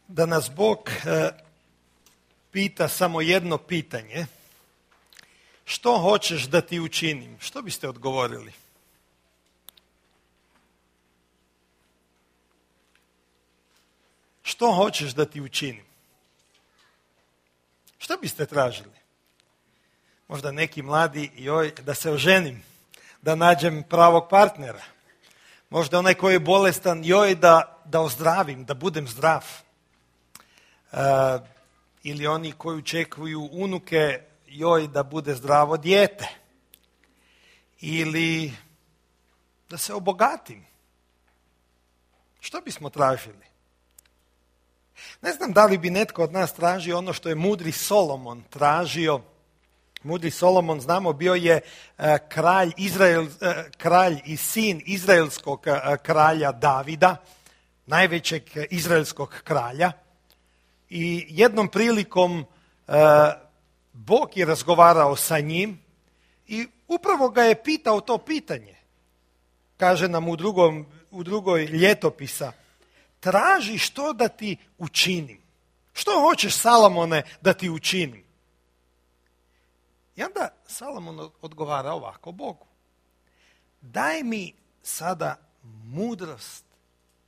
da nas Bog pita samo jedno pitanje. Što hoćeš da ti učinim? Što biste odgovorili? Što hoćeš da ti učinim? Što biste tražili? Možda neki mladi, da se oženim, da nađem pravog partnera. Možda onaj koji je bolestan, da ozdravim, da budem zdrav. Ili oni koji očekuju unuke, da bude zdravo dijete. Ili da se obogatim. Što bismo tražili? Ne znam da li bi netko od nas tražio ono što je mudri Solomon tražio. Mudri Solomon, znamo, bio je kralj i sin izraelskog kralja Davida, najvećeg izraelskog kralja. I jednom prilikom Bog je razgovarao sa njim i upravo ga je pitao to pitanje. Kaže nam u drugoj ljetopisa, traži što da ti učinim. Što hoćeš, Salomone, da ti učinim? I onda Salomon odgovara ovako Bogu. Daj mi sada mudrost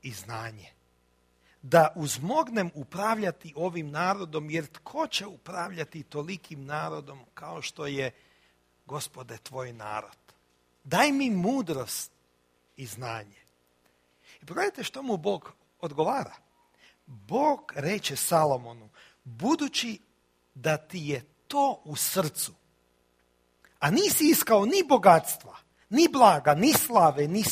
i znanje, da uzmognem upravljati ovim narodom, jer tko će upravljati tolikim narodom kao što je, Gospode, tvoj narod? Daj mi mudrost i znanje. I pogledajte što mu Bog odgovara. Bog reče Salomonu, budući da ti je to u srcu, a nisi iskao ni bogatstva, ni blaga, ni slave, ni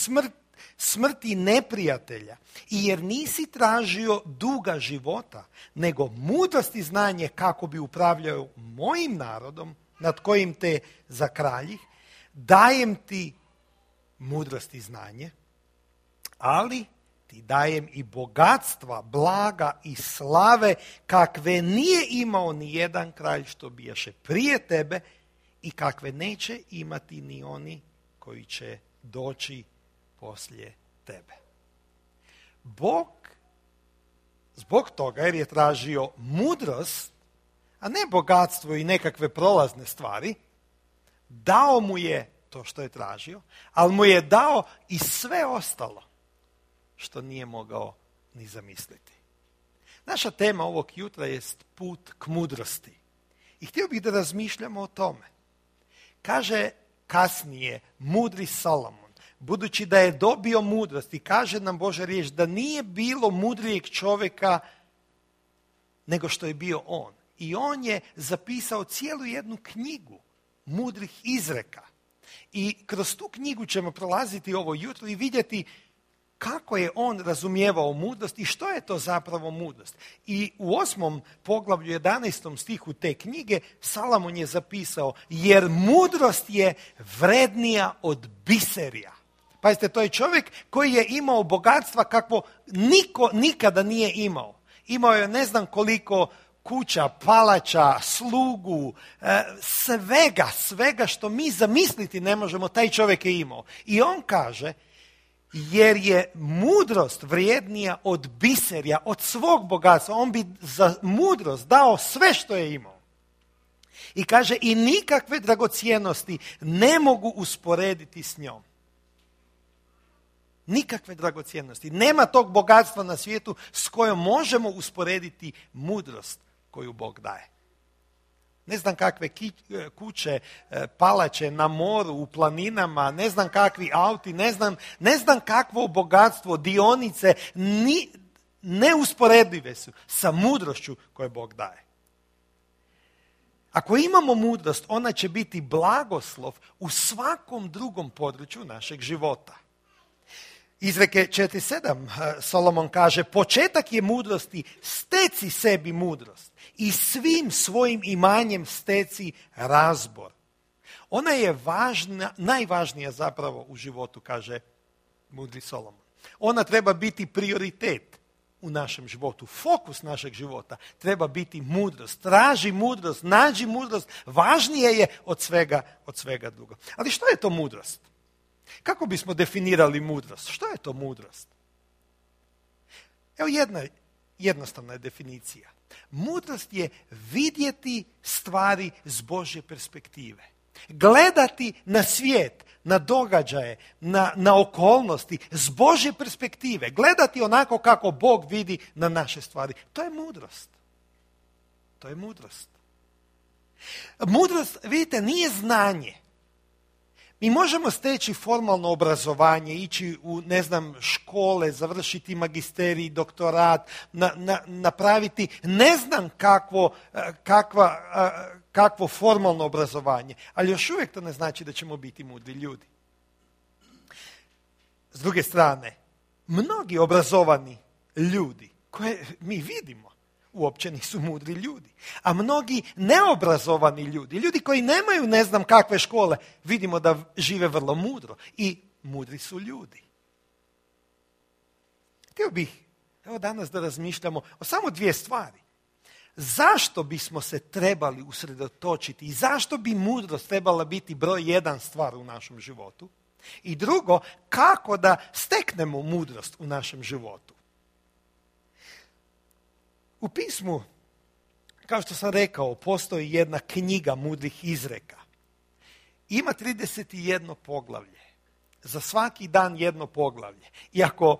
smrti neprijatelja, i jer nisi tražio duga života, nego mudrost i znanje kako bi upravljao mojim narodom, nad kojim te zakraljih, dajem ti mudrost i znanje, ali ti dajem i bogatstva, blaga i slave, kakve nije imao ni jedan kralj što bijaše prije tebe i kakve neće imati ni oni koji će doći poslije tebe. Bog, zbog toga jer je tražio mudrost, a ne bogatstvo i nekakve prolazne stvari, dao mu je to što je tražio, ali mu je dao i sve ostalo što nije mogao ni zamisliti. Naša tema ovog jutra jest put k mudrosti. I htio bih da razmišljamo o tome. Kaže kasnije mudri Solomon, budući da je dobio mudrost, i kaže nam Božja riječ da nije bilo mudrijeg čovjeka nego što je bio on. I on je zapisao cijelu jednu knjigu mudrih izreka. I kroz tu knjigu ćemo prolaziti ovo jutro i vidjeti kako je on razumijevao mudrost i što je to zapravo mudrost. I u 8. poglavlju 11. stihu te knjige Salomon je zapisao, jer mudrost je vrednija od biserija. Pazite, to je čovjek koji je imao bogatstva kakvo niko nikada nije imao. Imao je ne znam koliko kuća, palača, slugu, svega što mi zamisliti ne možemo, taj čovjek je imao. I on kaže, jer je mudrost vrijednija od biserja, od svog bogatstva. On bi za mudrost dao sve što je imao. I kaže, i nikakve dragocjenosti ne mogu usporediti s njom. Nikakve dragocjenosti. Nema tog bogatstva na svijetu s kojom možemo usporediti mudrost koju Bog daje. Ne znam kakve kuće, palače na moru, u planinama, ne znam kakvi auti, ne znam kakvo bogatstvo, dionice, neusporedive su sa mudrošću koju Bog daje. Ako imamo mudrost, ona će biti blagoslov u svakom drugom području našeg života. Izreke 4.7 Solomon kaže, početak je mudrosti, steci sebi mudrost i svim svojim imanjem steci razbor. Ona je najvažnija zapravo u životu, kaže mudri Solomon. Ona treba biti prioritet u našem životu, fokus našeg života treba biti mudrost. Traži mudrost, nađi mudrost, važnije je od svega drugo. Ali što je to mudrost? Kako bismo definirali mudrost? Što je to mudrost? Evo jednostavna je definicija. Mudrost je vidjeti stvari s Božje perspektive. Gledati na svijet, na događaje, na okolnosti s Božje perspektive. Gledati onako kako Bog vidi na naše stvari. To je mudrost. To je mudrost. Mudrost, vidite, nije znanje. Mi možemo steći formalno obrazovanje, ići u, škole, završiti magisterij, doktorat, napraviti ne znam kakvo formalno obrazovanje, ali još uvijek to ne znači da ćemo biti mudri ljudi. S druge strane, mnogi obrazovani ljudi koje mi vidimo uopće nisu mudri ljudi. A mnogi neobrazovani ljudi, ljudi koji nemaju ne znam kakve škole, vidimo da žive vrlo mudro i mudri su ljudi. Htio bih danas da razmišljamo o samo dvije stvari. Zašto bismo se trebali usredotočiti i zašto bi mudrost trebala biti broj 1 stvar u našem životu? I drugo, kako da steknemo mudrost u našem životu? U pismu, kao što sam rekao, postoji jedna knjiga mudrih izreka. Ima 31 poglavlje. Za svaki dan jedno poglavlje. I ako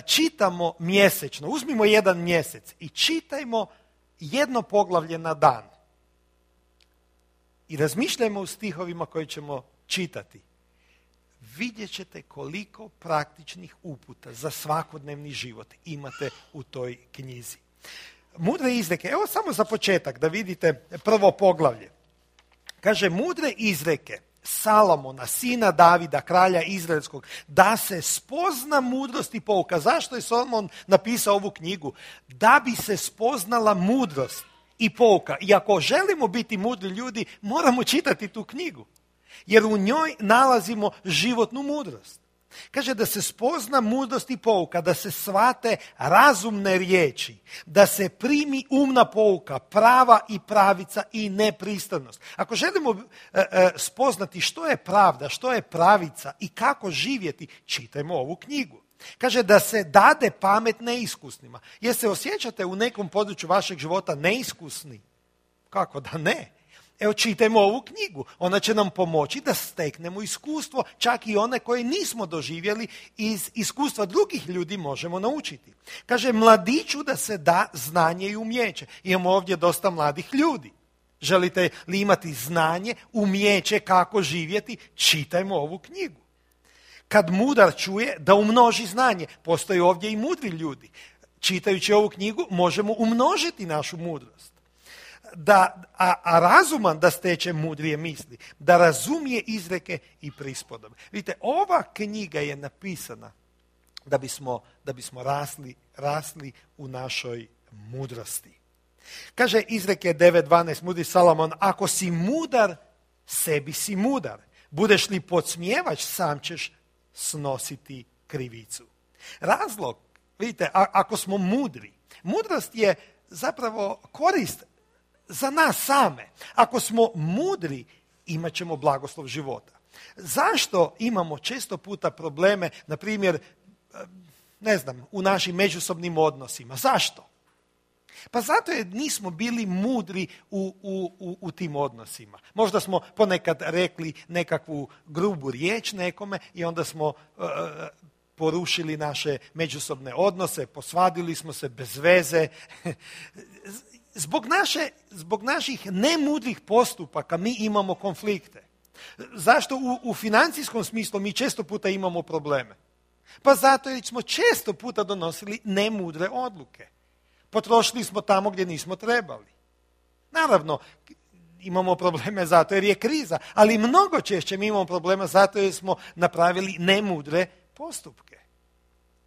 čitamo mjesečno, uzmimo jedan mjesec i čitajmo jedno poglavlje na dan. I razmišljajmo u stihovima koje ćemo čitati. Vidjet ćete koliko praktičnih uputa za svakodnevni život imate u toj knjizi. Mudre izreke, evo samo za početak da vidite prvo poglavlje. Kaže, mudre izreke Salomona, sina Davida, kralja Izraelskog, da se spozna mudrost i pouka. Zašto je Salomon napisao ovu knjigu? Da bi se spoznala mudrost i pouka. I ako želimo biti mudri ljudi, moramo čitati tu knjigu. Jer u njoj nalazimo životnu mudrost. Kaže da se spozna mudrost i pouka, da se shvate razumne riječi, da se primi umna pouka, prava i pravica i nepristranost. Ako želimo spoznati što je pravda, što je pravica i kako živjeti, čitajmo ovu knjigu. Kaže da se dade pamet neiskusnima. Jer se osjećate u nekom području vašeg života neiskusni? Kako da ne? Evo, čitajmo ovu knjigu. Ona će nam pomoći da steknemo iskustvo, čak i one koje nismo doživjeli, iz iskustva drugih ljudi možemo naučiti. Kaže, mladiću da se da znanje i umijeće. Imamo ovdje dosta mladih ljudi. Želite li imati znanje, umijeće kako živjeti? Čitajmo ovu knjigu. Kad mudar čuje, da umnoži znanje. Postoje ovdje i mudri ljudi. Čitajući ovu knjigu možemo umnožiti našu mudrost. A razuman da steče mudrije misli, da razumije izreke i prispodobe. Vidite, ova knjiga je napisana da bismo rasli u našoj mudrosti. Kaže izreke 9.12, mudri Salomon, ako si mudar, sebi si mudar. Budeš li podsmijevač, sam ćeš snositi krivicu. Razlog, vidite, ako smo mudri, mudrost je zapravo korist za nas same. Ako smo mudri, imat ćemo blagoslov života. Zašto imamo često puta probleme, na primjer, u našim međusobnim odnosima? Zašto? Pa zato jer nismo bili mudri u tim odnosima. Možda smo ponekad rekli nekakvu grubu riječ nekome i onda smo porušili naše međusobne odnose, posvadili smo se bez veze. Zbog naših nemudrih postupaka mi imamo konflikte. Zašto u financijskom smislu mi često puta imamo probleme? Pa zato jer smo često puta donosili nemudre odluke. Potrošili smo tamo gdje nismo trebali. Naravno, imamo probleme zato jer je kriza, ali mnogo češće mi imamo problema zato jer smo napravili nemudre postupke.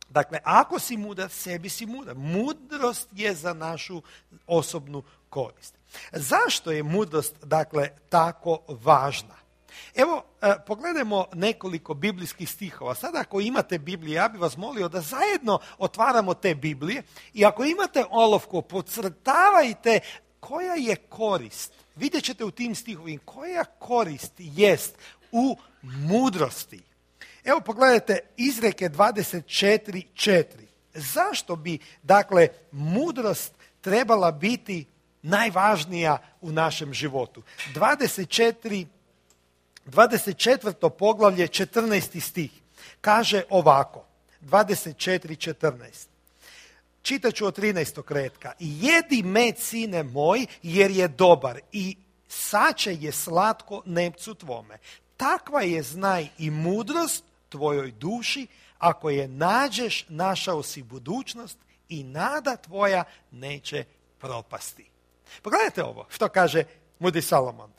Dakle, ako si mudar, sebi si mudar. Mudrost je za našu osobnu korist. Zašto je mudrost, tako važna? Evo, pogledajmo nekoliko biblijskih stihova. Sada ako imate Bibliju, ja bih vas molio da zajedno otvaramo te Biblije i ako imate olovku, podcrtavajte koja je korist. Vidjet ćete u tim stihovima koja korist jest u mudrosti. Evo pogledajte izreke 24.4. Zašto bi, dakle, mudrost trebala biti najvažnija u našem životu? 24. poglavlje, 14. stih, kaže ovako, 24:14. Čitat ću od 13. retka. Jedi med, sine moj, jer je dobar i sače je slatko nepcu tvome. Takva je, znaj, i mudrost tvojoj duši, ako je nađeš, našao si budućnost i nada tvoja neće propasti. Pogledajte ovo, što kaže mudri Salomon.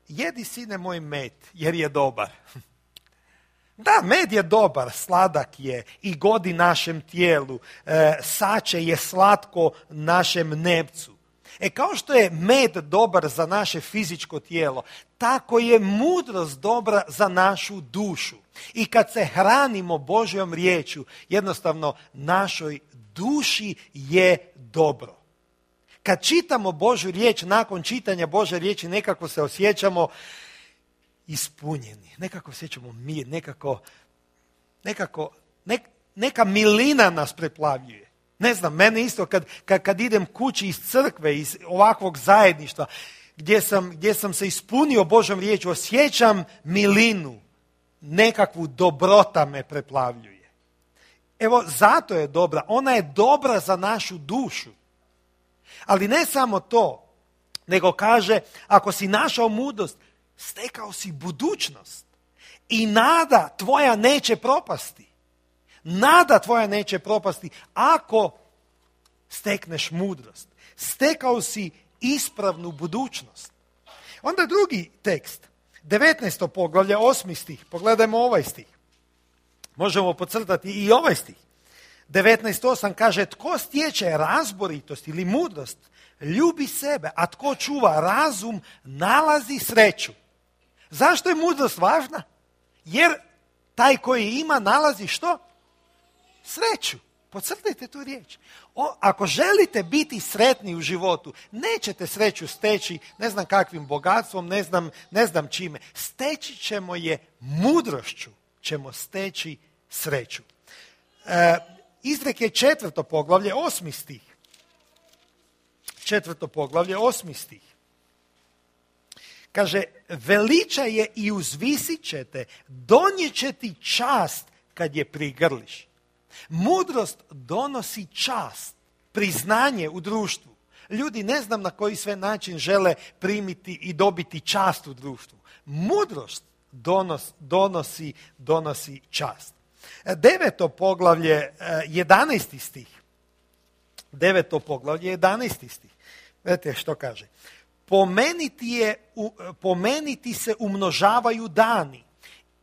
Jedi, sine moj, med, jer je dobar. Da, med je dobar, sladak je i godi našem tijelu, sače je slatko našem nepcu. Kao što je med dobar za naše fizičko tijelo, tako je mudrost dobra za našu dušu. I kad se hranimo Božjom riječju, jednostavno našoj duši je dobro. Kad čitamo Božju riječ, nakon čitanja Božje riječi nekako se osjećamo ispunjeni, nekako osjećamo mir, neka milina nas preplavljuje. Ne znam, mene isto kad idem kući iz crkve, iz ovakvog zajedništva, gdje sam se ispunio Božjom riječju, osjećam milinu, nekakvu dobrota me preplavljuje. Evo, zato je dobra. Ona je dobra za našu dušu. Ali ne samo to, nego kaže, ako si našao mudrost, stekao si budućnost i nada tvoja neće propasti. Nada tvoja neće propasti ako stekneš mudrost. Stekao si ispravnu budućnost. Onda drugi tekst, 19. poglavlje, 8. stih. Pogledajmo ovaj stih. Možemo podcrtati i ovaj stih. 19.8 kaže, tko stječe razboritost ili mudrost, ljubi sebe, a tko čuva razum, nalazi sreću. Zašto je mudrost važna? Jer taj koji ima nalazi što? Sreću. Podcrtajte tu riječ. Ako želite biti sretni u životu, nećete sreću steći ne znam kakvim bogatstvom, ne znam čime. Steći ćemo je mudrošću, ćemo steći sreću. Izreke 4. poglavlje, 8. stih. 4. poglavlje, 8. stih. Kaže, veličaj je i uzvisit ćete, donijet će ti čast kad je prigrliš. Mudrost donosi čast, priznanje u društvu. Ljudi ne znam na koji sve način žele primiti i dobiti čast u društvu. Mudrost donosi čast. 9. poglavlje, 11. stih. 9. poglavlje, 11. stih. Vidite što kaže. Pomeniti se umnožavaju dani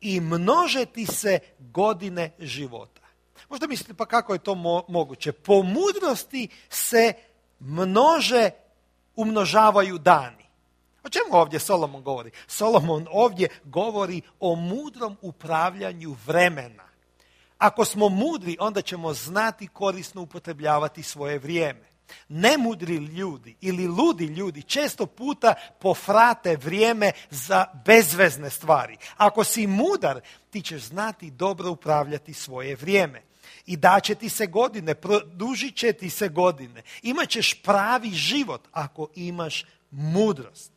i množeti se godine života. Možda mislite, pa kako je to moguće? Po mudrosti se umnožavaju dani. O čemu ovdje Solomon govori? Solomon ovdje govori o mudrom upravljanju vremena. Ako smo mudri, onda ćemo znati korisno upotrebljavati svoje vrijeme. Nemudri ljudi ili ludi ljudi često puta pofrate vrijeme za bezvezne stvari. Ako si mudar, ti ćeš znati dobro upravljati svoje vrijeme. I daće ti se godine, produžit će ti se godine. Imaćeš pravi život ako imaš mudrost.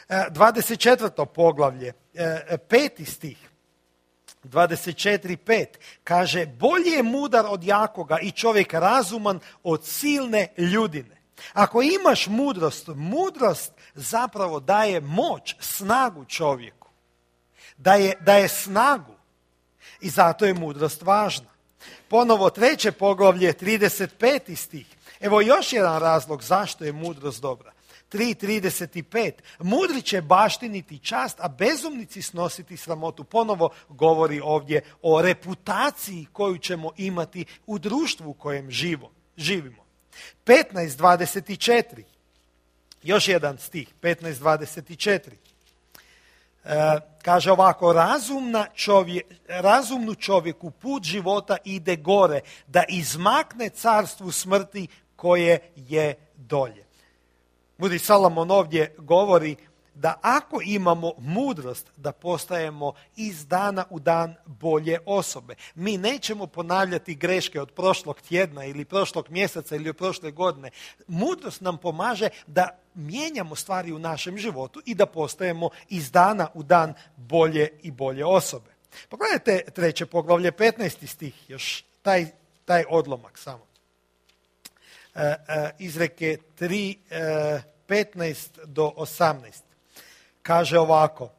24. poglavlje, 5. stih. 24.5 kaže, bolje je mudar od jakoga i čovjek razuman od silne ljudine. Ako imaš mudrost zapravo daje moć, snagu čovjeku. Daje snagu i zato je mudrost važna. Ponovo 3. poglavlje, 35. stih. Evo još jedan razlog zašto je mudrost dobra. 3.35. Mudri će baštiniti čast, a bezumnici snositi sramotu. Ponovo govori ovdje o reputaciji koju ćemo imati u društvu u kojem živimo. 15.24. Još jedan stih, 15.24. Kaže ovako, razumnu čovjeku put života ide gore, da izmakne carstvu smrti koje je dolje. Mudri Salomon ovdje govori da ako imamo mudrost, da postajemo iz dana u dan bolje osobe. Mi nećemo ponavljati greške od prošlog tjedna ili prošlog mjeseca ili od prošle godine. Mudrost nam pomaže da mijenjamo stvari u našem životu i da postajemo iz dana u dan bolje i bolje osobe. Pogledajte 3. poglavlje, 15. stih, još taj odlomak samo. Izreke 3, 15 do 18. Kaže ovako,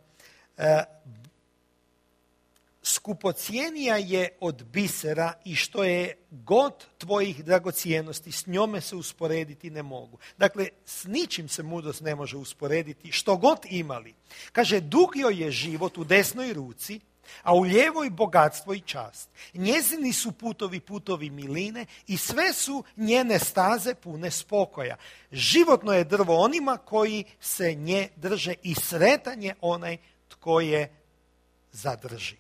skupocijenija je od bisera i što je god tvojih dragocijenosti, s njome se usporediti ne mogu. Dakle, s ničim se mudrost ne može usporediti, što god imali. Kaže, dug joj je život u desnoj ruci, a u lijevoj bogatstvo i čast. Njezini su putovi miline i sve su njene staze pune spokoja. Životno je drvo onima koji se nje drže i sretan je onaj tko je zadrži.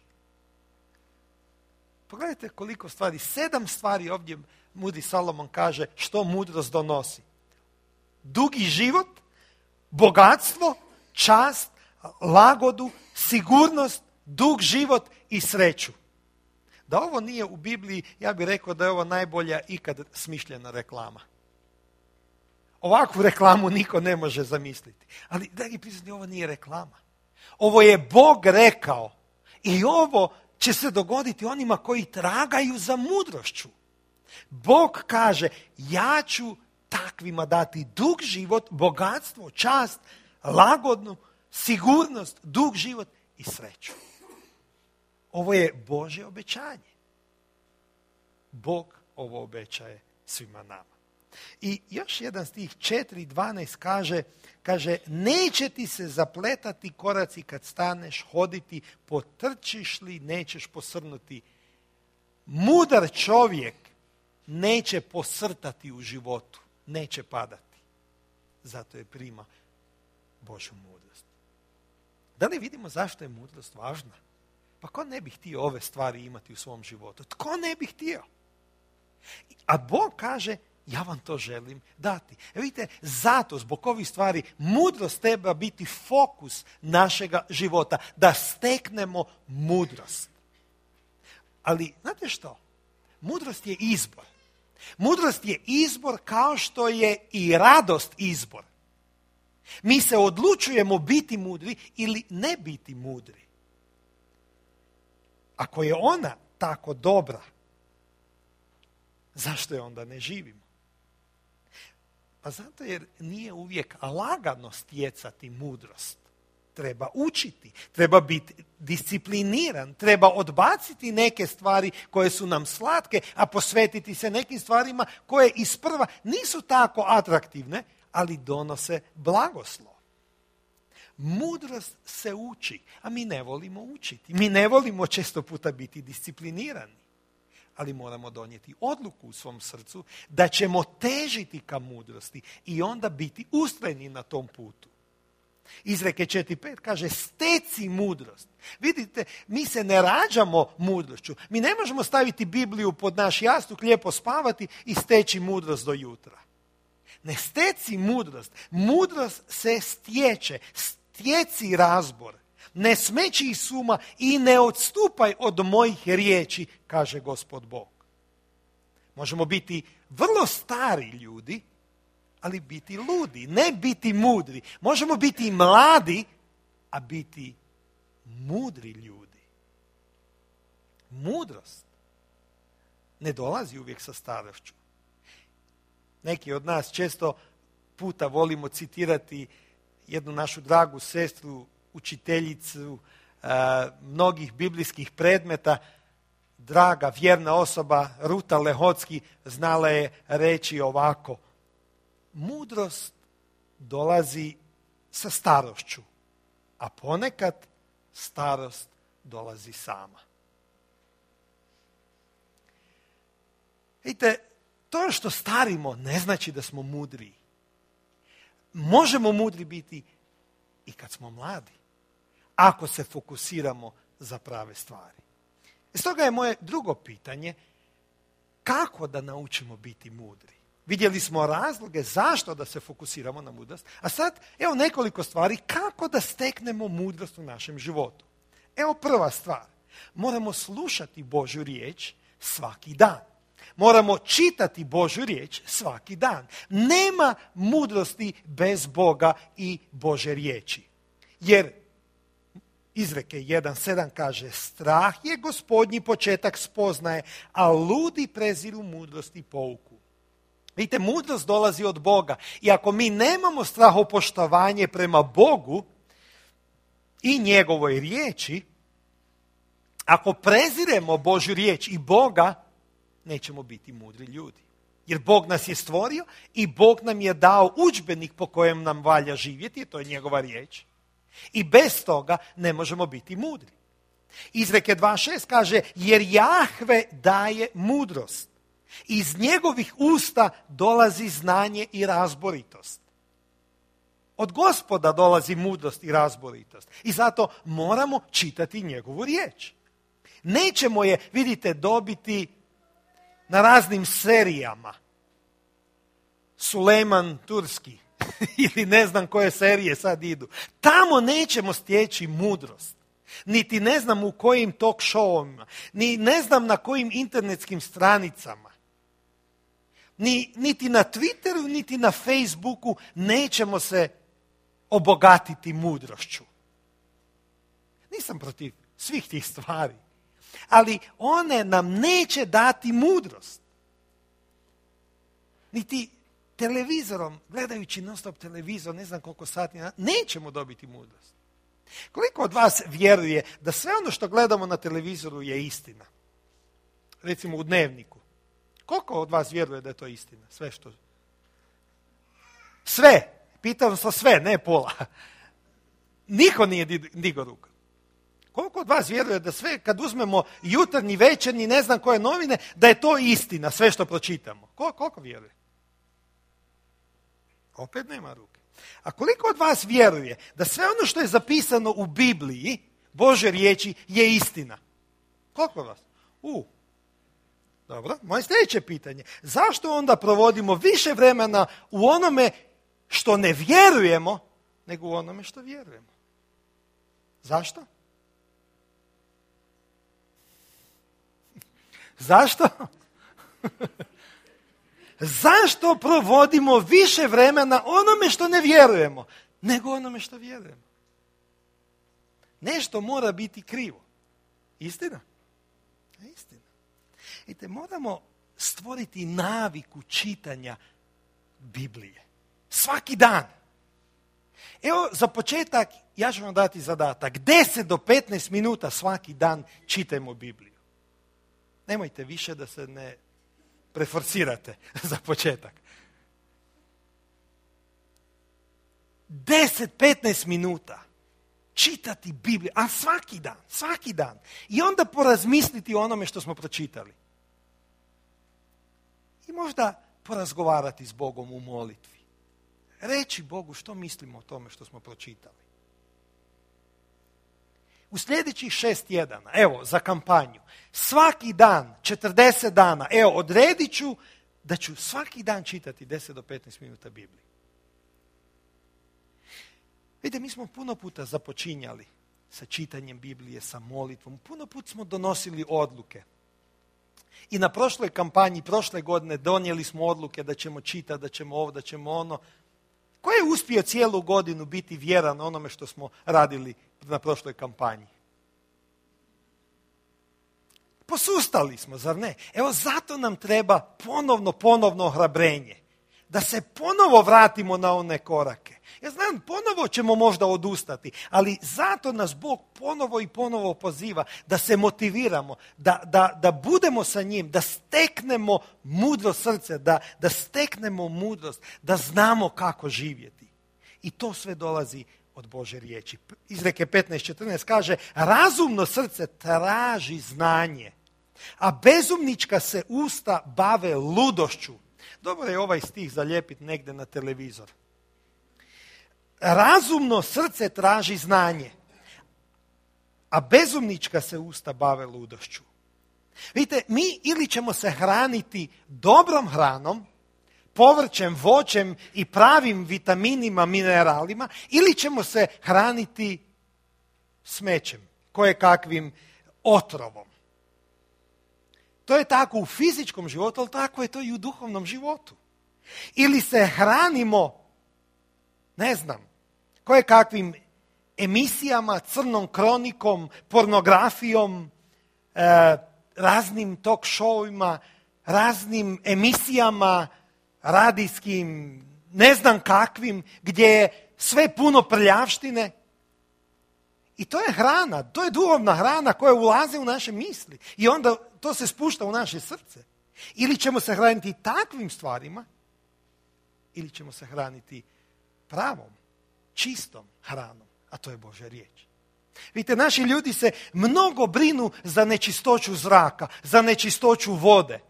Pogledajte koliko stvari, 7 stvari ovdje mudri Salomon kaže što mudrost donosi. Dugi život, bogatstvo, čast, lagodu, sigurnost, dug život i sreću. Da ovo nije u Bibliji, ja bih rekao da je ovo najbolja ikad smišljena reklama. Ovakvu reklamu niko ne može zamisliti. Ali, dragi prijatelji, ovo nije reklama. Ovo je Bog rekao. I ovo će se dogoditi onima koji tragaju za mudrošću. Bog kaže, ja ću takvima dati dug život, bogatstvo, čast, lagodnu, sigurnost, dug život i sreću. Ovo je Božje obećanje. Bog ovo obećaje svima nama. I još jedan stih 4.12 kaže, neće ti se zapletati koraci kad staneš hoditi, potrčiš li, nećeš posrnuti. Mudar čovjek neće posrtati u životu, neće padati. Zato je prima Božju mudrost. Da li vidimo zašto je mudrost važna? Pa ko ne bi htio ove stvari imati u svom životu? Tko ne bi htio? A Bog kaže, ja vam to želim dati. Vidite, zato, zbog ovih stvari, mudrost treba biti fokus našega života, da steknemo mudrost. Ali, znate što? Mudrost je izbor. Mudrost je izbor kao što je i radost izbor. Mi se odlučujemo biti mudri ili ne biti mudri. Ako je ona tako dobra, zašto je onda ne živimo? Pa zato jer nije uvijek lagano stjecati mudrost. Treba učiti, treba biti discipliniran, treba odbaciti neke stvari koje su nam slatke, a posvetiti se nekim stvarima koje isprva nisu tako atraktivne, ali donose blagoslov. Mudrost se uči, a mi ne volimo učiti. Mi ne volimo često puta biti disciplinirani. Ali moramo donijeti odluku u svom srcu da ćemo težiti ka mudrosti i onda biti ustrajni na tom putu. Izreke 4.5 kaže, steci mudrost. Vidite, mi se ne rađamo mudrošću. Mi ne možemo staviti Bibliju pod naš jastuk, lijepo spavati i steći mudrost do jutra. Ne steci mudrost. Mudrost se stječe. Stjeci razbor. Ne smeći iz suma i ne odstupaj od mojih riječi, kaže Gospod Bog. Možemo biti vrlo stari ljudi, ali biti ludi, ne biti mudri. Možemo biti mladi, a biti mudri ljudi. Mudrost ne dolazi uvijek sa starošću. Neki od nas često puta volimo citirati jednu našu dragu sestru, učiteljicu mnogih biblijskih predmeta, draga vjerna osoba Ruta Lehocki znala je reći ovako: mudrost dolazi sa starošću, a ponekad starost dolazi sama. Vidite, to što starimo ne znači da smo mudri. Možemo mudri biti i kad smo mladi, ako se fokusiramo za prave stvari. Stoga je moje drugo pitanje, kako da naučimo biti mudri? Vidjeli smo razloge zašto da se fokusiramo na mudrost. A sad, evo nekoliko stvari kako da steknemo mudrost u našem životu. Evo prva stvar. Moramo slušati Božju riječ svaki dan. Moramo čitati Božju riječ svaki dan. Nema mudrosti bez Boga i Božje riječi. Jer Izreke 1.7 kaže, strah je Gospodnji početak spoznaje, a ludi preziru mudrost i pouku. Vidite, mudrost dolazi od Boga. I ako mi nemamo strahopoštovanje prema Bogu i njegovoj riječi, ako preziremo Božju riječ i Boga, nećemo biti mudri ljudi. Jer Bog nas je stvorio i Bog nam je dao udžbenik po kojem nam valja živjeti, to je njegova riječ. I bez toga ne možemo biti mudri. Izreke 2.6 kaže, jer Jahve daje mudrost. Iz njegovih usta dolazi znanje i razboritost. Od Gospoda dolazi mudrost i razboritost. I zato moramo čitati njegovu riječ. Nećemo je, vidite, dobiti na raznim serijama. Sulejman Turski ili ne znam koje serije sad idu. Tamo nećemo stječi mudrost. Niti ne znam u kojim talk showima, ni ne znam na kojim internetskim stranicama. Niti na Twitteru, niti na Facebooku nećemo se obogatiti mudrošću. Nisam protiv svih tih stvari. Ali one nam neće dati mudrost. Niti televizorom, gledajući non stop televizor, ne znam koliko sati, nećemo dobiti mudrost. Koliko od vas vjeruje da sve ono što gledamo na televizoru je istina? Recimo u Dnevniku. Koliko od vas vjeruje da je to istina? Sve što... Sve. Pitam se sve, ne pola. Niko nije digao ruku. Koliko od vas vjeruje da sve, kad uzmemo jutarnji, večernji, ne znam koje novine, da je to istina, sve što pročitamo? Koliko vjeruje? Opet nema ruke. A koliko od vas vjeruje da sve ono što je zapisano u Bibliji, Božje riječi, je istina? Koliko od vas? Dobro, moje sljedeće pitanje. Zašto onda provodimo više vremena u onome što ne vjerujemo, nego u onome što vjerujemo? Zašto? Zašto? Zašto provodimo više vremena onome što ne vjerujemo, nego onome što vjerujemo? Nešto mora biti krivo. Istina? Istina. Vidite, moramo stvoriti naviku čitanja Biblije. Svaki dan. Evo, za početak, ja ću vam dati zadatak. 10 do 15 minuta svaki dan čitajmo Bibliju. Nemojte više da se ne preforsirate za početak. 10-15 minuta čitati Bibliju, a svaki dan. I onda porazmisliti o onome što smo pročitali. I možda porazgovarati s Bogom u molitvi. Reći Bogu što mislimo o tome što smo pročitali. U sljedećih 6 tjedana, evo, za kampanju, svaki dan, 40 dana, evo, odredit ću da ću svaki dan čitati 10 do 15 minuta Biblije. Vidite, mi smo puno puta započinjali sa čitanjem Biblije, sa molitvom. Puno puta smo donosili odluke. I na prošloj kampanji, prošle godine, donijeli smo odluke da ćemo čitati, da ćemo ovo, da ćemo ono. Ko je uspio cijelu godinu biti vjeran onome što smo radili na prošloj kampanji? Posustali smo, zar ne? Evo zato nam treba ponovno ohrabrenje. Da se ponovo vratimo na one korake. Ja znam, ponovo ćemo možda odustati, ali zato nas Bog ponovo poziva da se motiviramo, da budemo sa njim, da steknemo mudro srce, da steknemo mudrost, da znamo kako živjeti. I to sve dolazi od Božje riječi. Izreke 15.14 kaže, razumno srce traži znanje, a bezumnička se usta bave ludošću. Dobro je ovaj stih zalijepiti negdje na televizor. Razumno srce traži znanje, a bezumnička se usta bave ludošću. Vidite, mi ili ćemo se hraniti dobrom hranom, povrćem, voćem i pravim vitaminima, mineralima, ili ćemo se hraniti smećem, kojekakvim otrovom. To je tako u fizičkom životu, ali tako je to i u duhovnom životu. Ili se hranimo, ne znam, kojekakvim emisijama, crnom kronikom, pornografijom, raznim talk showima, raznim emisijama, radijskim, ne znam kakvim, gdje je sve puno prljavštine. I to je hrana, to je duhovna hrana koja ulazi u naše misli. I onda to se spušta u naše srce. Ili ćemo se hraniti takvim stvarima, ili ćemo se hraniti pravom, čistom hranom, a to je Božja riječ. Vidite, naši ljudi se mnogo brinu za nečistoću zraka, za nečistoću vode,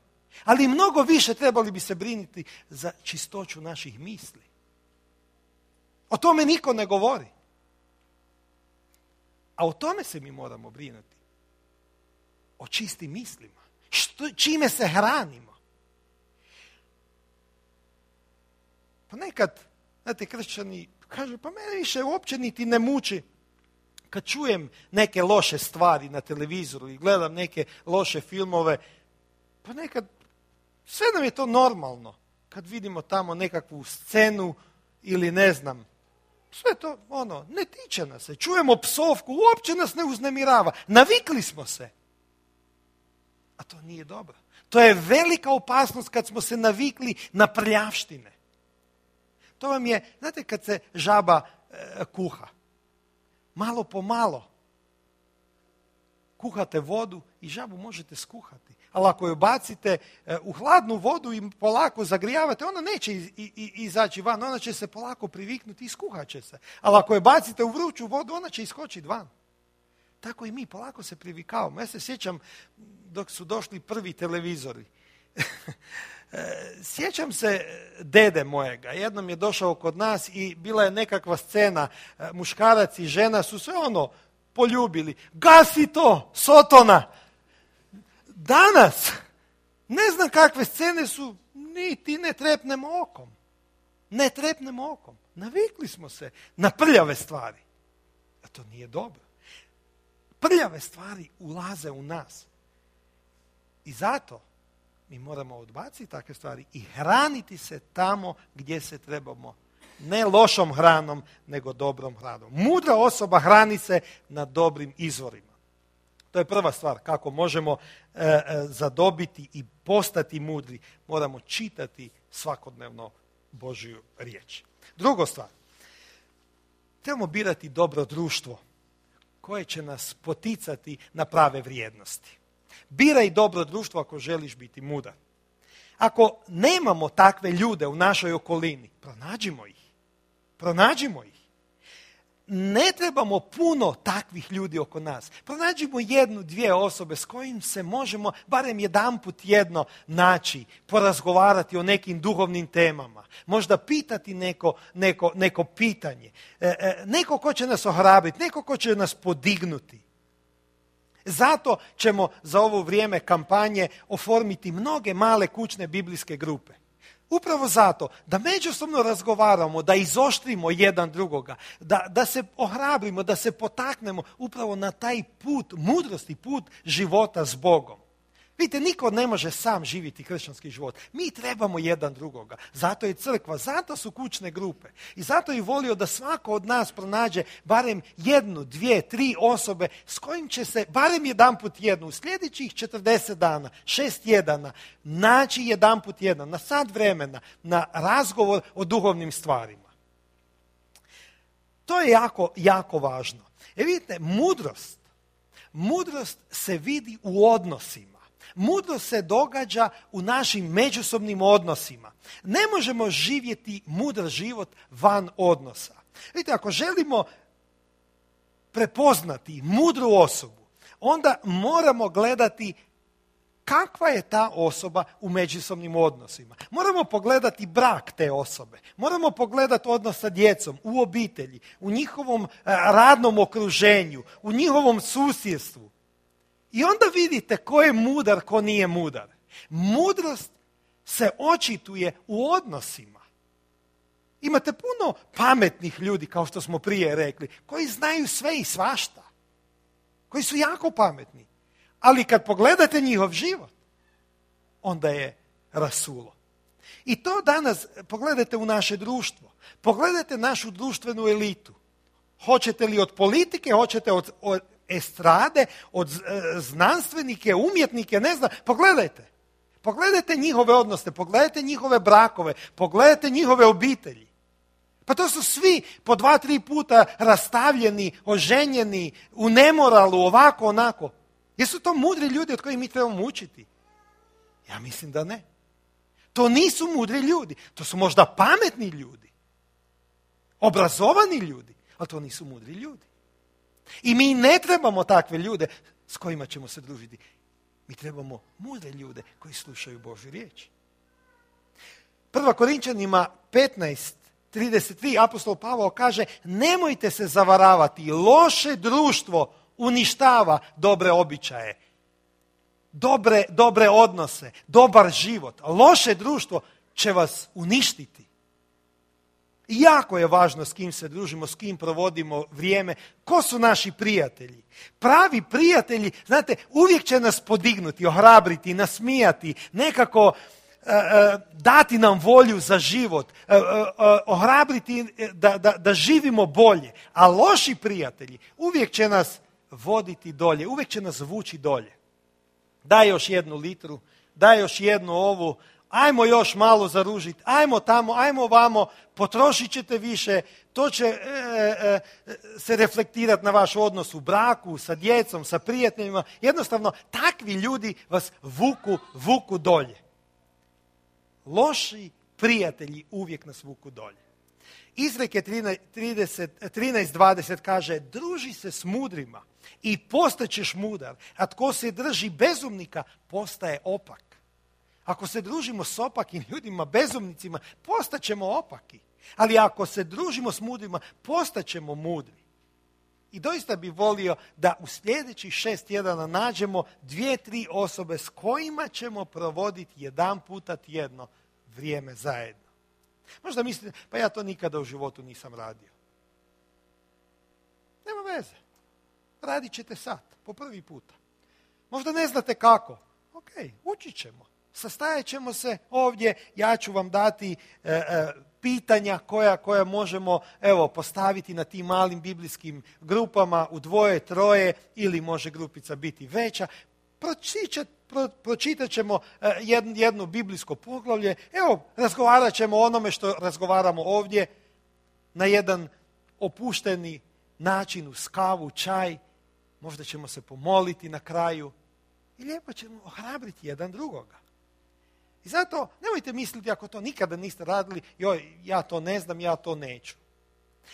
ali mnogo više trebali bi se brinuti za čistoću naših misli. O tome niko ne govori. A o tome se mi moramo brinuti. O čistim mislima. Čime se hranimo. Ponekad, znate, kršćani kažu, pa mene više uopće niti ne muči kad čujem neke loše stvari na televizoru i gledam neke loše filmove. Ponekad, sve nam je to normalno. Kad vidimo tamo nekakvu scenu ili ne znam, sve to, ne tiče nas se. Čujemo psovku, uopće nas ne uznemirava. Navikli smo se. A to nije dobro. To je velika opasnost kad smo se navikli na prljavštine. To vam je, znate, kad se žaba kuha. Malo po malo kuhate vodu i žabu možete skuhati. Ali ako ju bacite u hladnu vodu i polako zagrijavate, ona neće izaći van, ona će se polako priviknuti i skuhat će se. Ali ako je bacite u vruću vodu, ona će iskočiti van. Tako i mi polako se privikavamo. Ja se sjećam dok su došli prvi televizori. Sjećam se dede mojega. Jednom je došao kod nas i bila je nekakva scena. Muškarac i žena su se poljubili. Gasi to, Sotona! Danas, ne znam kakve scene su, niti ne trepnemo okom. Ne trepnemo okom. Navikli smo se na prljave stvari. A to nije dobro. Prljave stvari ulaze u nas. I zato mi moramo odbaciti takve stvari i hraniti se tamo gdje se trebamo. Ne lošom hranom, nego dobrom hranom. Mudra osoba hrani se na dobrim izvorima. To je prva stvar, kako možemo zadobiti i postati mudri. Moramo čitati svakodnevno Božju riječ. Druga stvar, trebamo birati dobro društvo koje će nas poticati na prave vrijednosti. Biraj dobro društvo ako želiš biti mudar. Ako nemamo takve ljude u našoj okolini, pronađimo ih. Ne trebamo puno takvih ljudi oko nas. Pronađimo 1-2 osobe s kojim se možemo barem jedanput tjedno naći, porazgovarati o nekim duhovnim temama. Možda pitati neko pitanje. Neko ko će nas ohrabriti, neko ko će nas podignuti. Zato ćemo za ovo vrijeme kampanje oformiti mnoge male kućne biblijske grupe. Upravo zato da međusobno razgovaramo, da izoštrimo jedan drugoga, da se ohrabrimo, da se potaknemo upravo na taj put mudrosti, put života s Bogom. Vidite, niko ne može sam živjeti kršćanski život. Mi trebamo jedan drugoga. Zato je crkva, zato su kućne grupe. I zato je volio da svako od nas pronađe barem 1, 2, 3 osobe s kojim će se barem jedanput tjedno u sljedećih 40 dana, 6 tjedana, naći jedanput tjedno, na sat vremena, na razgovor o duhovnim stvarima. To je jako, jako važno. Vidite, mudrost se vidi u odnosima. Mudrost se događa u našim međusobnim odnosima. Ne možemo živjeti mudar život van odnosa. Vidite, ako želimo prepoznati mudru osobu, onda moramo gledati kakva je ta osoba u međusobnim odnosima. Moramo pogledati brak te osobe. Moramo pogledati odnos sa djecom, u obitelji, u njihovom radnom okruženju, u njihovom susjedstvu. I onda vidite ko je mudar, ko nije mudar. Mudrost se očituje u odnosima. Imate puno pametnih ljudi, kao što smo prije rekli, koji znaju sve i svašta. Koji su jako pametni. Ali kad pogledate njihov život, onda je rasulo. I to danas pogledajte u naše društvo. Pogledajte našu društvenu elitu. Hoćete li od politike, hoćete od estrade, od znanstvenike, umjetnike, ne znam. Pogledajte. Pogledajte njihove odnose, pogledajte njihove brakove, pogledajte njihove obitelji. Pa to su svi po 2-3 puta rastavljeni, oženjeni, u nemoralu, ovako, onako. Jesu to mudri ljudi od kojih mi trebamo učiti? Ja mislim da ne. To nisu mudri ljudi. To su možda pametni ljudi. Obrazovani ljudi. Ali to nisu mudri ljudi. I mi ne trebamo takve ljude s kojima ćemo se družiti. Mi trebamo mudre ljude koji slušaju Božju riječ. 1. Korinčanima 15:33 apostol Pavao kaže: nemojte se zavaravati, loše društvo uništava dobre običaje, dobre odnose, dobar život. Loše društvo će vas uništiti. I jako je važno s kim se družimo, s kim provodimo vrijeme. Ko su naši prijatelji? Pravi prijatelji, znate, uvijek će nas podignuti, ohrabriti, nasmijati, nekako dati nam volju za život, ohrabriti da živimo bolje. A loši prijatelji uvijek će nas voditi dolje, uvijek će nas vući dolje. Daj još 1 litru, daj još 1 ovu, ajmo još malo zaružiti, ajmo tamo, ajmo ovamo, potrošit ćete više, to će se reflektirati na vaš odnos u braku, sa djecom, sa prijateljima. Jednostavno, takvi ljudi vas vuku dolje. Loši prijatelji uvijek nas vuku dolje. Izreke 13:20 kaže: druži se s mudrima i postaćeš mudar, a tko se drži bezumnika postaje opak. Ako se družimo s opakim ljudima, bezumnicima, postaćemo opaki. Ali ako se družimo s mudrima, postaćemo mudri. I doista bih volio da u sljedećih 6 tjedana nađemo 2-3 osobe s kojima ćemo provoditi 1 puta tjedno vrijeme zajedno. Možda mislite, pa ja to nikada u životu nisam radio. Nema veze. Radit ćete sad, po prvi puta. Možda ne znate kako. Ok, učit ćemo. Sastajat ćemo se ovdje, ja ću vam dati pitanja koja možemo postaviti na tim malim biblijskim grupama u 2, 3 ili može grupica biti veća. Pročitat ćemo jedno biblijsko poglavlje, razgovarat ćemo o onome što razgovaramo ovdje na jedan opušteni način, uz kavu, čaj, možda ćemo se pomoliti na kraju i lijepo ćemo ohrabriti jedan drugoga. I zato nemojte misliti, ako to nikada niste radili, ja to ne znam, ja to neću.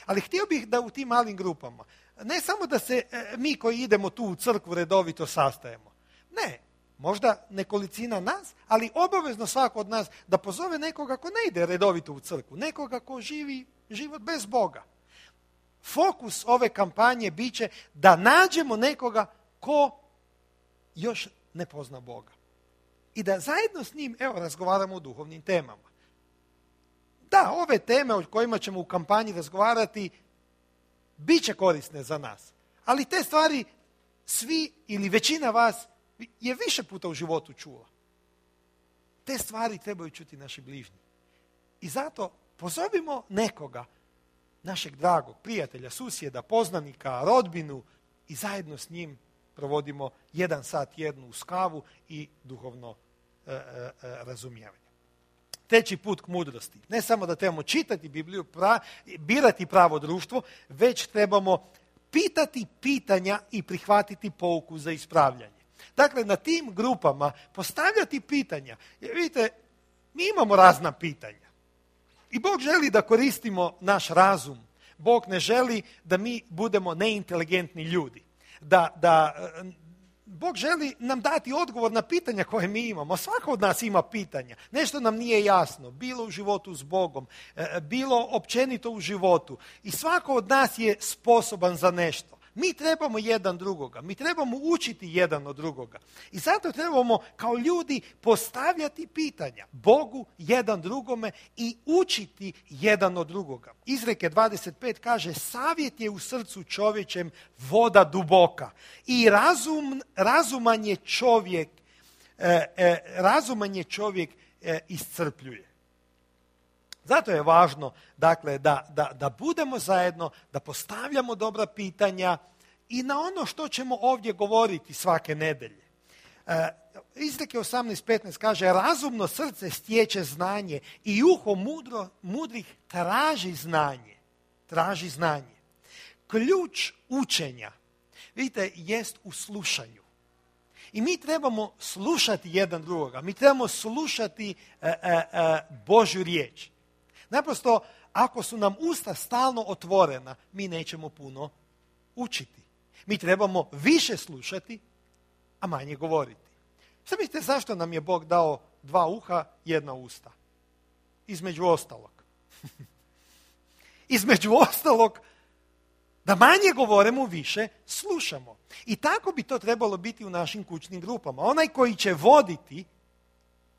Ali htio bih da u tim malim grupama, ne samo da se mi koji idemo tu u crkvu redovito sastajemo. Ne, možda nekolicina nas, ali obavezno svako od nas da pozove nekoga ko ne ide redovito u crkvu, nekoga ko živi život bez Boga. Fokus ove kampanje bit će da nađemo nekoga ko još ne pozna Boga. I da zajedno s njim, razgovaramo o duhovnim temama. Da, ove teme o kojima ćemo u kampanji razgovarati bit će korisne za nas. Ali te stvari svi ili većina vas je više puta u životu čula. Te stvari trebaju čuti naši bližnji. I zato pozovimo nekoga, našeg dragog prijatelja, susjeda, poznanika, rodbinu i zajedno s njim provodimo 1 sat tjedno uz kavu i duhovno razumijevanje. 3. put k mudrosti. Ne samo da trebamo čitati Bibliju, birati pravo društvo, već trebamo pitati pitanja i prihvatiti pouku za ispravljanje. Dakle, na tim grupama postavljati pitanja. Jer vidite, mi imamo razna pitanja. I Bog želi da koristimo naš razum. Bog ne želi da mi budemo neinteligentni ljudi. Bog želi nam dati odgovor na pitanja koje mi imamo. Svako od nas ima pitanja. Nešto nam nije jasno. Bilo u životu s Bogom, bilo općenito u životu. I svako od nas je sposoban za nešto. mi trebamo jedan drugoga, mi trebamo učiti jedan od drugoga. I zato trebamo kao ljudi postavljati pitanja Bogu, jedan drugome i učiti jedan od drugoga. Izreke 25 kaže, savjet je u srcu čovječem voda duboka i razuman je čovjek iscrpljuje. Zato je važno, dakle, da budemo zajedno, da postavljamo dobra pitanja i na ono što ćemo ovdje govoriti svake nedelje. Izreke 18.15 kaže, razumno srce stječe znanje i uho mudrih traži znanje. Traži znanje. Ključ učenja, vidite, jest u slušanju. I mi trebamo slušati jedan drugoga. Mi trebamo slušati Božju riječ. Naprosto, ako su nam usta stalno otvorena, mi nećemo puno učiti. Mi trebamo više slušati, a manje govoriti. Šta mislite zašto nam je Bog dao 2 uha, 1 usta? Između ostalog. Između ostalog, da manje govorimo, više slušamo. I tako bi to trebalo biti u našim kućnim grupama. Onaj koji će voditi,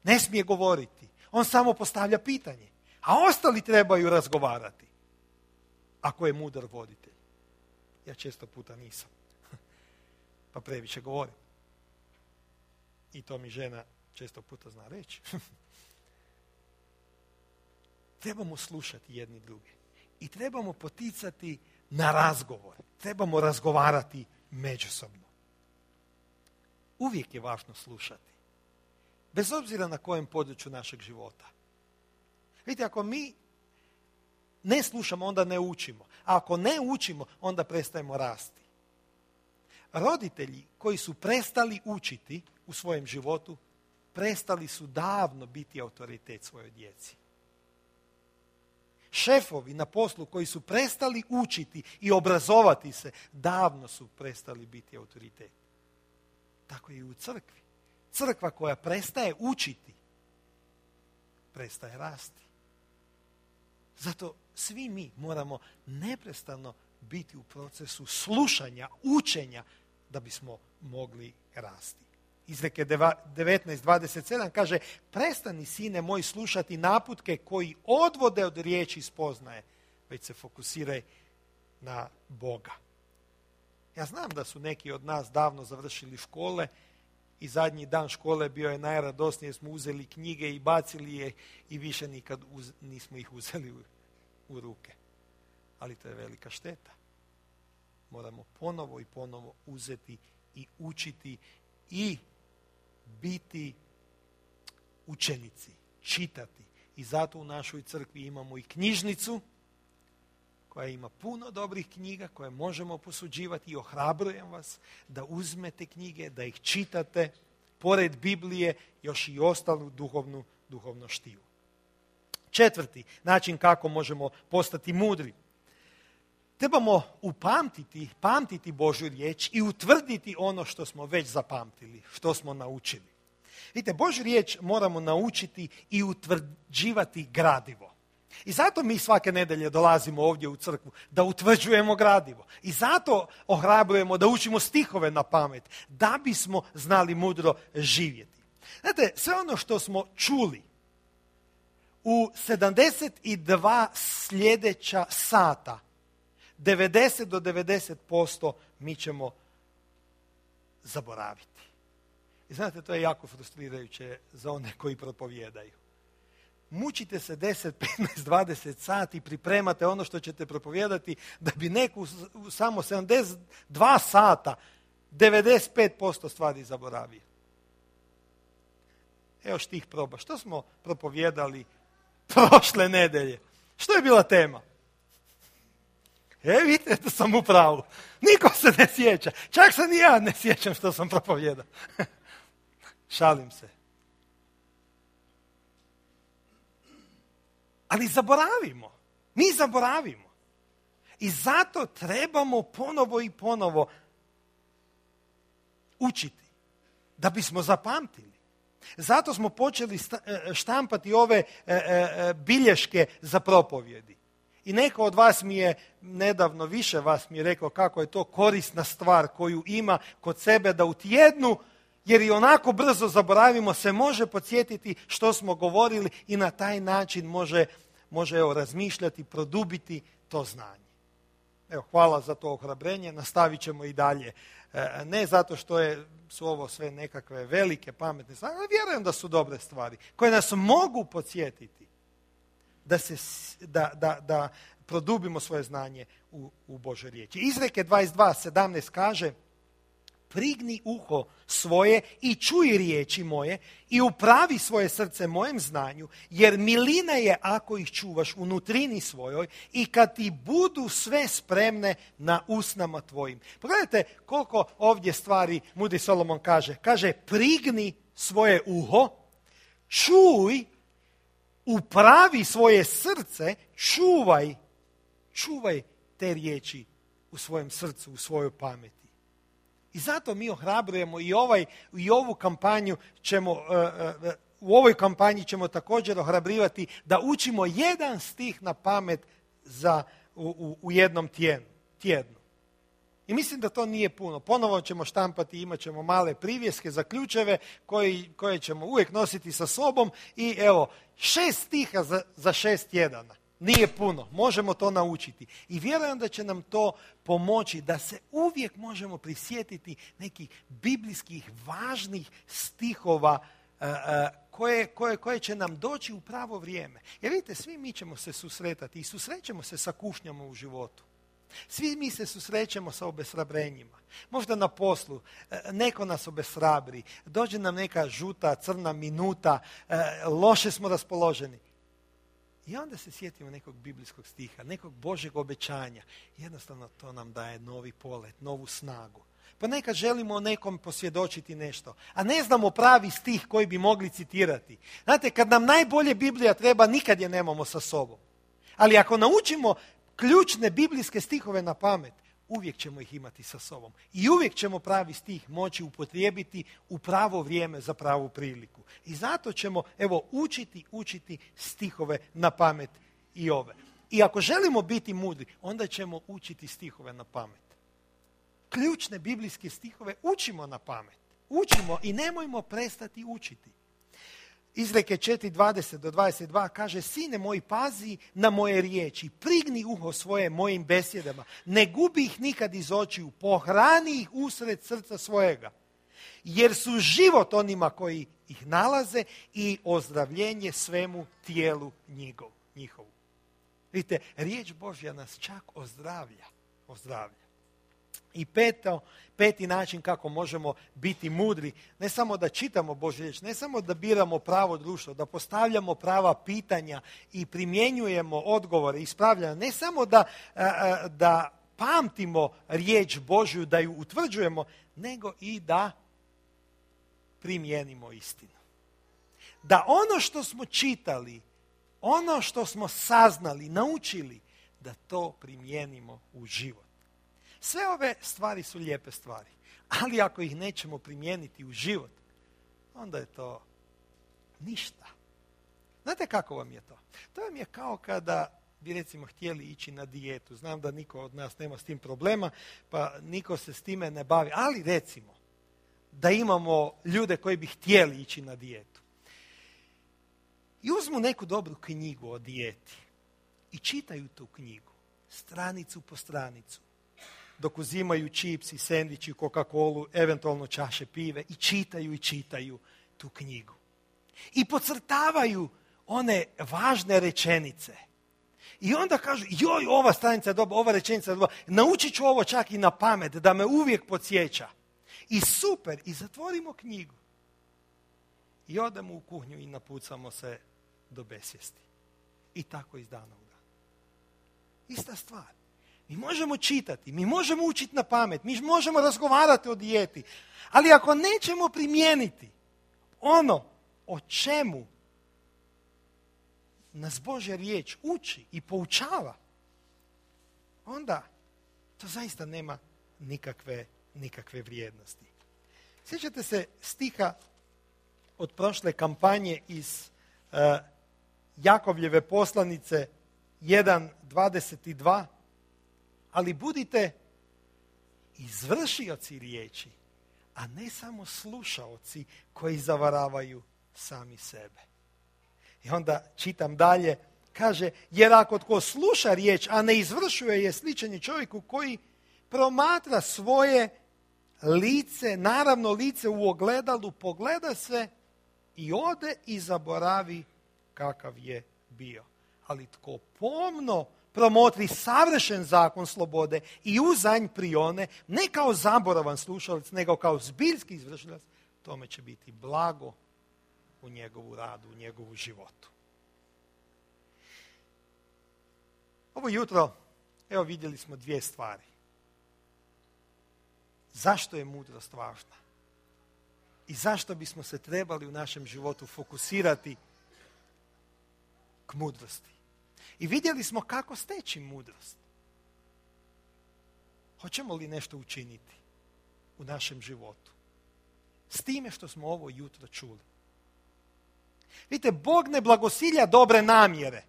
ne smije govoriti. On samo postavlja pitanje. A ostali trebaju razgovarati. Ako je mudar voditelj. Ja često puta nisam. Pa previše govorim. I to mi žena često puta zna reći. Trebamo slušati jedni druge. I trebamo poticati na razgovor. Trebamo razgovarati međusobno. Uvijek je važno slušati. Bez obzira na kojem području našeg života. Vidite, ako mi ne slušamo, onda ne učimo. A ako ne učimo, onda prestajemo rasti. Roditelji koji su prestali učiti u svojem životu, prestali su davno biti autoritet svojoj djeci. Šefovi na poslu koji su prestali učiti i obrazovati se, davno su prestali biti autoritet. Tako je i u crkvi. Crkva koja prestaje učiti, prestaje rasti. Zato svi mi moramo neprestano biti u procesu slušanja, učenja, da bismo mogli rasti. Izreke 19.27 kaže, prestani sine moj slušati naputke koji odvode od riječi spoznaje, već se fokusiraj na Boga. Ja znam da su neki od nas davno završili škole i zadnji dan škole bio je najradosnije, smo uzeli knjige i bacili je i više nikad nismo ih uzeli u ruke. Ali to je velika šteta. Moramo ponovo i ponovo uzeti i učiti i biti učenici, čitati. I zato u našoj crkvi imamo i knjižnicu koja ima puno dobrih knjiga koje možemo posuđivati i ohrabrujem vas da uzmete knjige, da ih čitate, pored Biblije još i ostalu duhovno štivo. 4. način kako možemo postati mudri. Trebamo pamtiti Božju riječ i utvrditi ono što smo već zapamtili, što smo naučili. Vidite, Božju riječ moramo naučiti i utvrđivati gradivo. I zato mi svake nedelje dolazimo ovdje u crkvu, da utvrđujemo gradivo. I zato ohrabrujemo da učimo stihove na pamet, da bismo znali mudro živjeti. Znate, sve ono što smo čuli u 72 sljedeća sata, 90 do 90% mi ćemo zaboraviti. I znate, to je jako frustrirajuće za one koji propovijedaju. Mučite se 10, 15, 20 sati, pripremate ono što ćete propovijedati, da bi neko u samo 72 sata 95% stvari zaboravio. Evo štih proba. Što smo propovijedali prošle nedelje? Što je bila tema? Vidite, da sam u pravu. Niko se ne sjeća. Čak se ni ja ne sjećam što sam propovijedao. Šalim se. Ali zaboravimo. Mi zaboravimo. I zato trebamo ponovo i ponovo učiti. Da bismo zapamtili. Zato smo počeli štampati ove bilješke za propovjedi. I neko od vas mi je, nedavno više vas mi je rekao kako je to korisna stvar koju ima kod sebe da u tjednu, jer i onako brzo zaboravimo, se može podsjetiti što smo govorili i na taj način može razmišljati, produbiti to znanje. Evo, hvala za to ohrabrenje, nastavit ćemo i dalje. Ne zato što su ovo sve nekakve velike, pametne stvari, ali vjerujem da su dobre stvari, koje nas mogu podsjetiti da produbimo svoje znanje u Božoj riječi. Izreke 22:17 kaže: prigni uho svoje i čuj riječi moje i upravi svoje srce mojem znanju, jer milina je ako ih čuvaš u nutrini svojoj i kad ti budu sve spremne na usnama tvojim. Pogledajte koliko ovdje stvari mudri Solomon kaže. Kaže, prigni svoje uho, čuj, upravi svoje srce, čuvaj te riječi u svojem srcu, u svojoj pameti. I zato mi ohrabrujemo i ovu kampanju u ovoj kampanji ćemo također ohrabrivati da učimo jedan stih na pamet u jednom tjednu. I mislim da to nije puno. Ponovo ćemo štampati, imat ćemo male privjeske za ključeve koje ćemo uvijek nositi sa sobom i evo, 6 stiha za 6 tjedana. Nije puno, možemo to naučiti. I vjerujem da će nam to pomoći da se uvijek možemo prisjetiti nekih biblijskih važnih stihova koje će nam doći u pravo vrijeme. Jer vidite, svi mi ćemo se susretati i susrećemo se sa kušnjama u životu. Svi mi se susrećemo sa obeshrabrenjima. Možda na poslu neko nas obeshrabri, dođe nam neka žuta, crna minuta, loše smo raspoloženi. I onda se sjetimo nekog biblijskog stiha, nekog Božjeg obećanja. Jednostavno to nam daje novi polet, novu snagu. Pa nekad želimo nekom posvjedočiti nešto, a ne znamo pravi stih koji bi mogli citirati. Znate, kad nam najbolje Biblija treba, nikad je nemamo sa sobom. Ali ako naučimo ključne biblijske stihove na pamet, uvijek ćemo ih imati sa sobom. I uvijek ćemo pravi stih moći upotrijebiti u pravo vrijeme za pravu priliku. I zato ćemo, učiti stihove na pamet i ove. I ako želimo biti mudri, onda ćemo učiti stihove na pamet. Ključne biblijske stihove učimo na pamet. Učimo i nemojmo prestati učiti. Izreke 4:20-22 kaže: sine moj, pazi na moje riječi, prigni uho svoje mojim besjedama, ne gubi ih nikad iz očiju, pohrani ih usred srca svojega, jer su život onima koji ih nalaze i ozdravljenje svemu tijelu njihovu. Vidite, riječ Božja nas čak ozdravlja. I peti način kako možemo biti mudri, ne samo da čitamo Božju riječ, ne samo da biramo pravo društvo, da postavljamo prava pitanja i primjenjujemo odgovore, ispravljanja, ne samo da pamtimo riječ Božju, da ju utvrđujemo, nego i da primijenimo istinu. Da ono što smo čitali, ono što smo saznali, naučili, da to primijenimo u život. Sve ove stvari su lijepe stvari, ali ako ih nećemo primijeniti u život, onda je to ništa. Znate kako vam je to? To vam je kao kada bi recimo htjeli ići na dijetu. Znam da niko od nas nema s tim problema, pa niko se s time ne bavi, ali recimo da imamo ljude koji bi htjeli ići na dijetu. I uzmu neku dobru knjigu o dijeti i čitaju tu knjigu, stranicu po stranicu, dok uzimaju čips i sendvič i Coca-Colu, eventualno čaše pive i čitaju tu knjigu. I podcrtavaju one važne rečenice. I onda kažu, joj, ova stranica je dobra, ova rečenica je dobra, naučit ću ovo čak i na pamet, da me uvijek podsjeća. I super, i zatvorimo knjigu. I odemo u kuhinju i napucamo se do besvijesti. I tako iz dana u dan. Ista stvar. Mi možemo čitati, mi možemo učiti na pamet, mi možemo razgovarati o dijeti, ali ako nećemo primijeniti ono o čemu nas Božja riječ uči i poučava, onda to zaista nema nikakve vrijednosti. Sjećate se stiha od prošle kampanje iz Jakovljeve poslanice 1:22, ali budite izvršioci riječi, a ne samo slušaoci koji zavaravaju sami sebe. I onda čitam dalje, kaže, jer ako tko sluša riječ, a ne izvršuje je, sličan je čovjeku koji promatra svoje lice, naravno lice u ogledalu, pogleda se i ode i zaboravi kakav je bio. Ali tko pomno promotri savršen zakon slobode i uzanj prione, ne kao zaboravan slušalac, nego kao zbiljski izvršilac, tome će biti blago u njegovu radu, u njegovu životu. Ovo jutro, evo vidjeli smo dvije stvari. Zašto je mudrost važna? I zašto bismo se trebali u našem životu fokusirati k mudrosti? I vidjeli smo kako steći mudrost. Hoćemo li nešto učiniti u našem životu s time što smo ovo jutro čuli? Vidite, Bog ne blagosilja dobre namjere.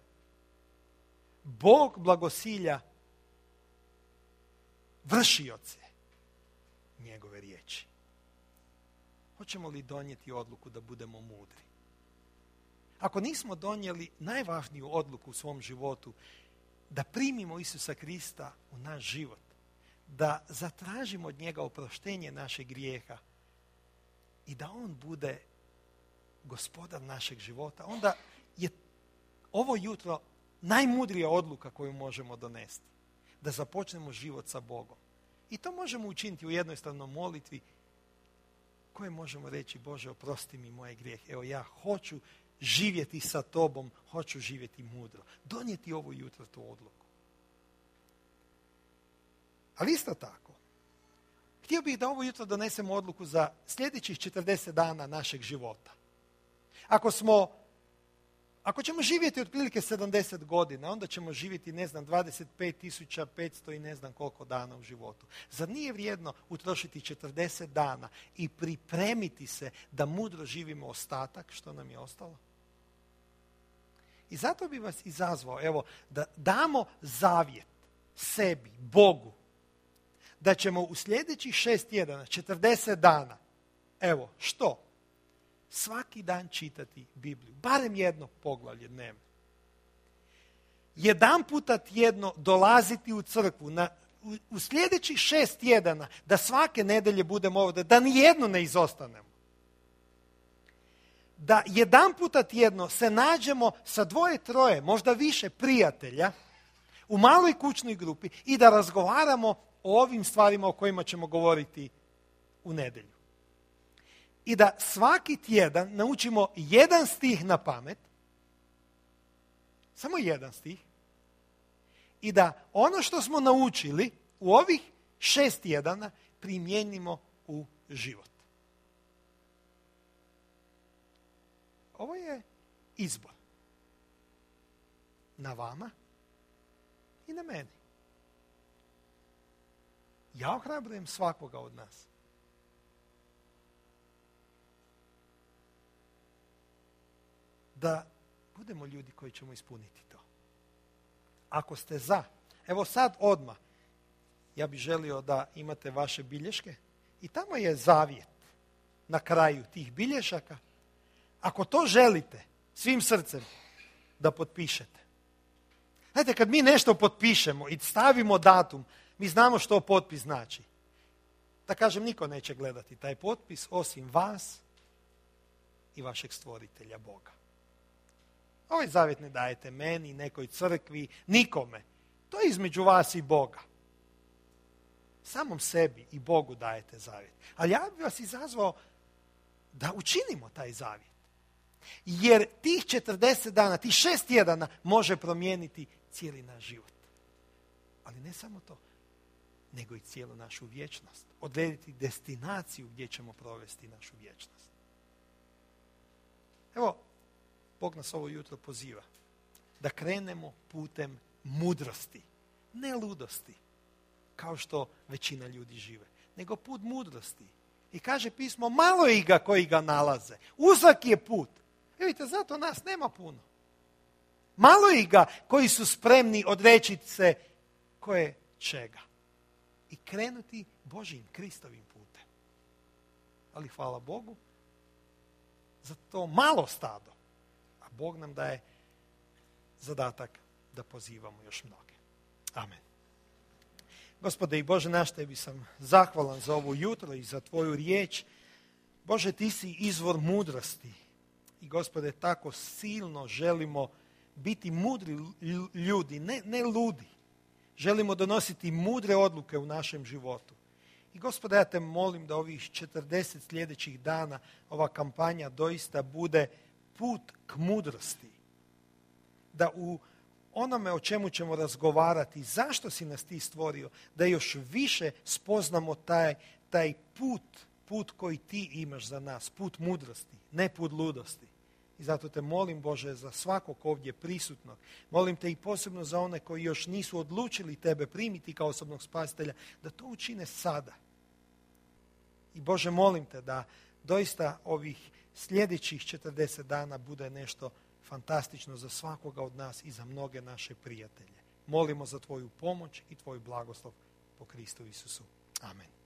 Bog blagosilja vršioce njegove riječi. Hoćemo li donijeti odluku da budemo mudri? Ako nismo donijeli najvažniju odluku u svom životu, da primimo Isusa Krista u naš život, da zatražimo od njega oproštenje našeg grijeha i da on bude gospodar našeg života, onda je ovo jutro najmudrija odluka koju možemo donesti. Da započnemo život sa Bogom. I to možemo učiniti u jednostavnoj molitvi koje možemo reći, Bože, oprosti mi moje grijehe. Evo, ja hoću živjeti sa tobom, hoću živjeti mudro. Donijeti ovo jutro tu odluku. Ali isto tako, htio bih da ovo jutro donesemo odluku za sljedećih 40 dana našeg života. Ako ćemo živjeti otprilike 70 godina, onda ćemo živjeti, 25.500 i ne znam koliko dana u životu. Zar nije vrijedno utrošiti 40 dana i pripremiti se da mudro živimo ostatak što nam je ostalo? I zato bi vas izazvao, evo, da damo zavjet sebi, Bogu, da ćemo u sljedećih 6 tjedana, 40 dana, evo, što? Svaki dan čitati Bibliju, barem jedno poglavlje dnevno. Jedan puta tjedno dolaziti u crkvu, u sljedećih 6 tjedana, da svake nedjelje budemo ovdje, da nijedno ne izostanemo. Da jedan puta tjedno se nađemo sa 2-3, možda više prijatelja, u maloj kućnoj grupi i da razgovaramo o ovim stvarima o kojima ćemo govoriti u nedjelju. I da svaki tjedan naučimo jedan stih na pamet, samo jedan stih, i da ono što smo naučili u ovih 6 tjedana primijenimo u život. Ovo je izbor. Na vama i na meni. Ja ohrabrujem svakoga od nas. Da budemo ljudi koji ćemo ispuniti to. Ako ste za, evo sad odmah, ja bih želio da imate vaše bilješke i tamo je zavjet na kraju tih bilješaka. Ako to želite svim srcem da potpišete. Znate, kad mi nešto potpišemo i stavimo datum, mi znamo što potpis znači. Da kažem, niko neće gledati taj potpis osim vas i vašeg stvoritelja Boga. Ovaj zavjet ne dajete meni, nekoj crkvi, nikome. To je između vas i Boga. Samom sebi i Bogu dajete zavjet. Ali ja bih vas izazvao da učinimo taj zavjet. Jer tih 40 dana, tih 6 tjedana može promijeniti cijeli naš život. Ali ne samo to, nego i cijelu našu vječnost. Odrediti destinaciju gdje ćemo provesti našu vječnost. Evo, Bog nas ovo jutro poziva da krenemo putem mudrosti, ne ludosti, kao što većina ljudi žive, nego put mudrosti. I kaže pismo, malo je ga koji ga nalaze. Uzak je put. Vidite, zato nas nema puno. Malo ih ga koji su spremni odreći se koje čega i krenuti Božjim Kristovim putem. Ali hvala Bogu za to malo stado, a Bog nam daje zadatak da pozivamo još mnoge. Amen. Gospode i Bože naš, Tebi sam zahvalan za ovo jutro i za Tvoju riječ. Bože, Ti si izvor mudrosti i Gospode, tako silno želimo biti mudri ljudi, ne ludi. Želimo donositi mudre odluke u našem životu. I Gospode, ja Te molim da ovih 40 sljedećih dana ova kampanja doista bude put k mudrosti. Da u onome o čemu ćemo razgovarati, zašto si nas Ti stvorio, da još više spoznamo taj put koji Ti imaš za nas, put mudrosti, ne put ludosti. I zato Te molim, Bože, za svakog ovdje prisutnog. Molim Te i posebno za one koji još nisu odlučili Tebe primiti kao osobnog spasitelja, da to učine sada. I Bože, molim Te da doista ovih sljedećih 40 dana bude nešto fantastično za svakoga od nas i za mnoge naše prijatelje. Molimo za Tvoju pomoć i Tvoj blagoslov po Kristu Isusu. Amen.